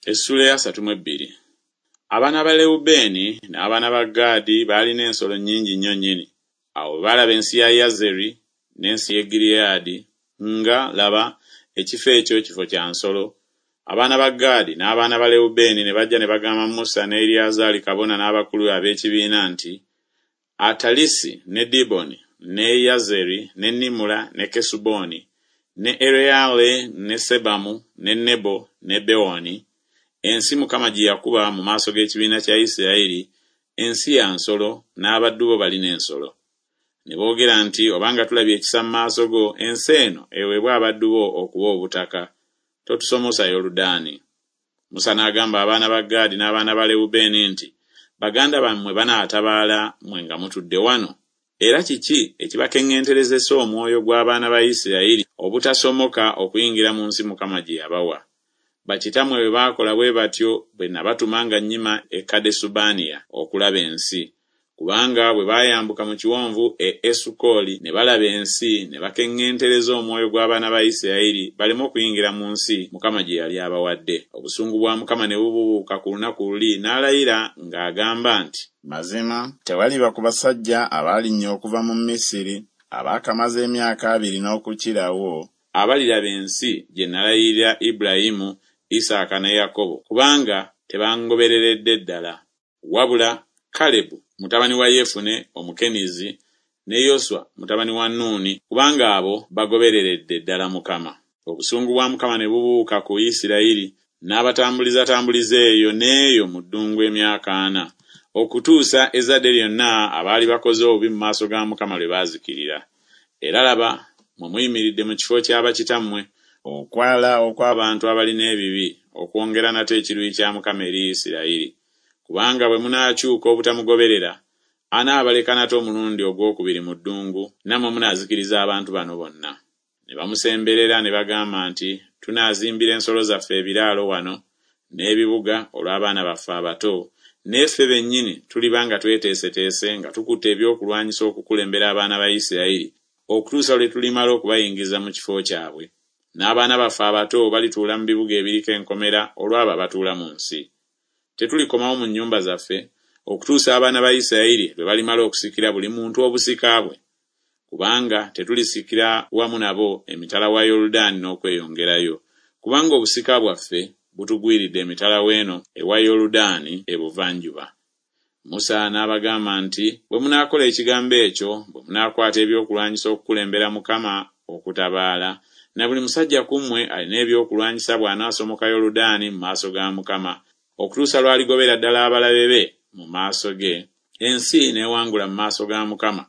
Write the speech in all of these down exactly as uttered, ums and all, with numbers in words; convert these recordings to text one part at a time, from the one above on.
Essuula ey'asatu mu ebbiri. Abaana ba Lewubeeni n'abaana ba Gaadi baalina ensolo nnyingi nnyo nnyini. Awo bwe baalaba ensi ya Yazeri n'ensi y'e Gireyaadi, nga, laba, ekifo ekyo kifo kya nsolo. Abaana ba Gaadi n'abaana ba Lewubeeni ne bajja ne bagamba Musa ne Eriyazaali kabona n'abakulu ab'ekibiina nti, Atalisi ne Diboni ne Yazeri ne Nimula ne Kesuboni ne Ereyale ne Sebamu ne Nebo ne Bewoni, ensi Mukama gye yakuba mu maaso g'ekibiina kya Isirayiri, ensi ya nsolo, n'abaddu bo balina ensolo. Ne boogera nti, Obanga tulabye ekisa mu maaso go, ensi eno eweebwe abaddu bo okuba obutaka, totusomosa Yoludaani. Musa n'agamba abaana ba Gaadi n'abaana ba Lewubeeni nti, Baganda bammwe banaatabaala mmwe nga mutudde wano? Era kiki ekibakeŋŋenterezesa omwoyo gw'abaana ba Isirayiri obutasomoka okuyingira mu nsi Mukama gye yabawa? Bakitammwe bwe baakola bwe batyo bwe nabatuma nga nnyima e Kadesubanea okulaba ensi. Kubanga bwe baayambuka mu kiwonvu e Esukoli ne balaba ensi, ne bakeŋŋentereza omwoyo gw'abaana ba Isirayiri baleme okuyingira mu nsi Mukama gye yali abawadde. Obusungu bwa Mukama ne bubuubuuka ku lunaku luli, n'alayira ng'agamba nti, Mazima tewaliba ku basajja abaalinnya okuva mu Misiri abaakamaze emyaka abiri n'okukirawo abaliraba ensi gye nalayirira Ibulayimu, Isaaka ne Yakobo, kubanga tebangobereredde ddala. Wabula Kalebu mutabani wa Yefune Omukenizi ne Yoswa mutabani wa Nuuni, kubanga abo bagobereredde ddala Mukama. Obusungu bwa Mukama ne bubuuka ku Isirayiri, n'abatambulizatambuliza eyo n'eyo mu ddungu emyaka ana, okutuusa ezzadde lyonna abaali bakoze obubi mu maaso ga Mukama lwe baazikirira. Era laba, mmwe muyimiridde mu kifo kya bakitammwe, okwala okw'abantu abalina ebibi, okwongera nate ekiruyi kya Mukama eri Isirayiri. Kubanga bwe munaakyuka obutamugoberera, anaabaleka nate omulundi ogwokubiri mu ddungu, nammwe munaazikiriza abantu bano bonna. Ne bamusemberera ne bagamba nti, Tunaazimbira ensolo zaffe ebiraalo wano n'ebibuga olw'abaana baffe abato, naye ffe bennyini tuliba nga tweteeseteese nga tukutte ebyokulwanyisa okukulembera abaana ba Isirayiri okutuusa lwe tulimala okubayingiza mu kifo kyabwe. N'abaana baffe abato balituula mu bibuga ebiriko enkomera olw'abo abatuula mu nsi. Tetulikomawo mu nnyumba zaffe okutuusa abaana ba Isirayiri lwe balimala okusikira buli muntu obusika bwe. Kubanga tetulisikira wamu nabo emitala wa Yoludaani n'okweyongerayo, kubanga obusika bwaffe butugwiridde emitala w'eno ewa Yoludaani ebuvanjuba. Musa n'abagamba nti, Bwe munaakola ekigambo ekyo, bwe munaakwata ebyokulwanyisa okukulembera Mukama okutabaala, na buli musajja ku mmwe alina ebyokulwanyisa bw'anaasomoka Yoludaani mu maaso ga Mukama, okutuusa lw'aligobera ddala abalabe be mu maaso ge, ensi n'ewangula mu maaso ga Mukama.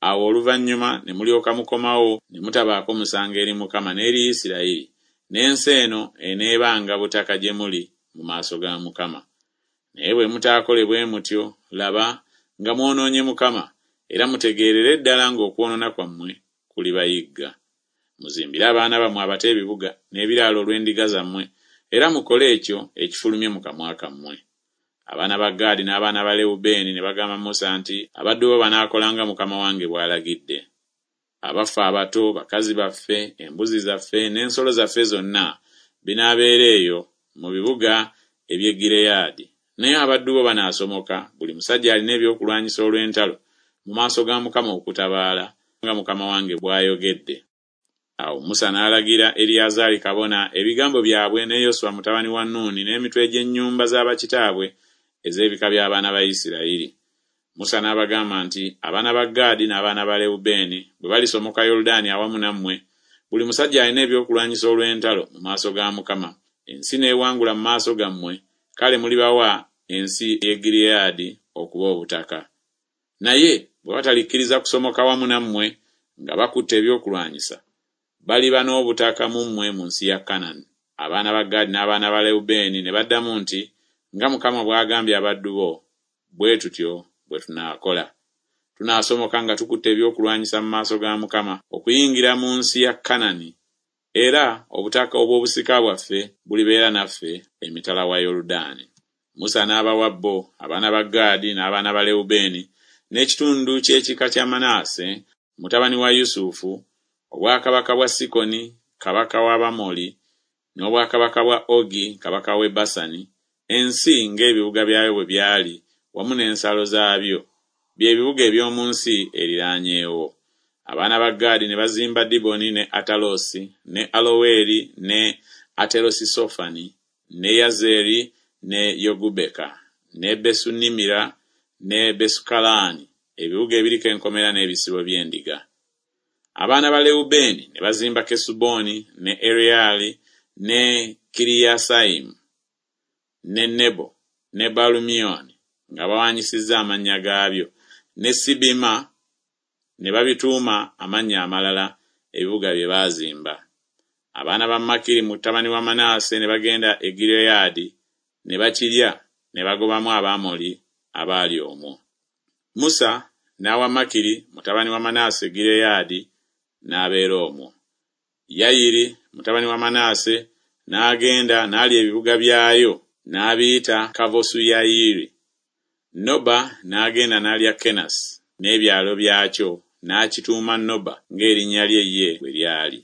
Awo oluvannyuma ne mulyoka mukomawo ne mutabaako musango eri Mukama n'eri Isirayiri, n'ensi eno eneebanga butaka gye muli mu maaso ga Mukama. Naye bwe mutaakole bwe mutyo, laba, nga mwonoonye Mukama, era mutegeerere ddala ng'okwonoona kwammwe kulibayigga. Muzimbire abaana bammwe abato ebibuga n'ebiraalo olw'endiga zammwe, era mukole ekyo ekifulumye mu kamwa kammwe. Abaana ba Gaadi n'abaana ba Lewubeeni ne bagamba Musa nti, Abaddu bo banaakola nga mukama wange bw'alagidde. Abaffe abato, bakazi baffe, embuzi zaffe n'ensolo zaffe zonna binaabeera eyo mu bibuga eby'e Gireyaadi. Naye abaddu bo banaasomoka, buli musajja alina ebyokulwanyisa olw'entalo, mu maaso ga Mukama okutabaala, nga mukama wange bw'ayogedde. Awo Musa n'alagira Eriyazaali kabona ebigambo byabwe ne Yoswa mutabani wa Nuuni n'emitwe gy'ennyumba za bakitaabwe ez'ebika by'abaana ba Isirayiri. Musa n'abagamba nti, Abaana ba Gaadi n'abaana ba Lewubeeni bwe balisomoka Yoludaani awamu nammwe, buli musajja alina ebyokulwanyisa olw'entalo mu maaso ga Mukama, ensi n'ewangula mu maaso gammwe, kale mulibawa ensi y'e Gireyaadi okuba obutaka. Naye bwe batalikkiriza kusomoka wamu nammwe nga bakutte ebyokulwanyisa, baliba n'obutaka mu mmwe mu nsi ya Kanani. Abaana ba Gaadi n'abaana ba Lewubeeni ne baddamu nti, Nga Mukama bw'agambye abaddu bo, bwe tutyo bwe tunaakola. Tunaasomoka nga tukutte ebyokulwanyisa mu maaso ga Mukama okuyingira mu nsi ya Kanani, era obutaka obw'obusika bwaffe bulibeera naffe emitala wa Yoludaani. Musa n'abawa bo, abaana ba Gaadi n'abaana ba Lewubeeni, n'ekitundu ky'ekika kya Manaase mutabani wa Yusufu, obwakabaka bwa Sikoni kabaka w'Abamoli, N'obwakabaka bwa Ogi kabaka w'e Basani, ensi ng'ebibuga byayo bwe byali wamu n'ensalo zaabyo, bye bibuga eby'omu nsi eriraanyeewo. Abaana ba Gaadi ne bazimba Diboni ne Atalosi ne Aloweri ne Aterosisofani ne Yazeri ne Yogubeka ne Besunimira ne Besukalaani, ebibuga ebiriko enkomera n'ebisibo by'endiga. Abaana ba Lewubeeni ne bazimba Kesuboni ne Ereyali ne Kiriyasayimu ne Nebo ne Baalumyoni nga bawaanyisizza amannya gaabyo, ne Sibima ne babituuma amannya amalala ebibuga bye baazimba. Abaana ba Makiri mutabani wa Manase ne bagenda e Gireyaadi ne bakirya ne bagobamu Abamoli abaali omwo. Musa n'awa Makiri mutabani wa Manase Gireyaadi n'abeera omwo. Yayiri mutabani wa Manase n'agenda n'alya ebibuga byayo n'abiyita Kavosuyayiri. Noba n'agenda n'alya Kenasi n'ebyalo byakyo n'akituuma Noba ng'erinnya lye ye bwe lyali.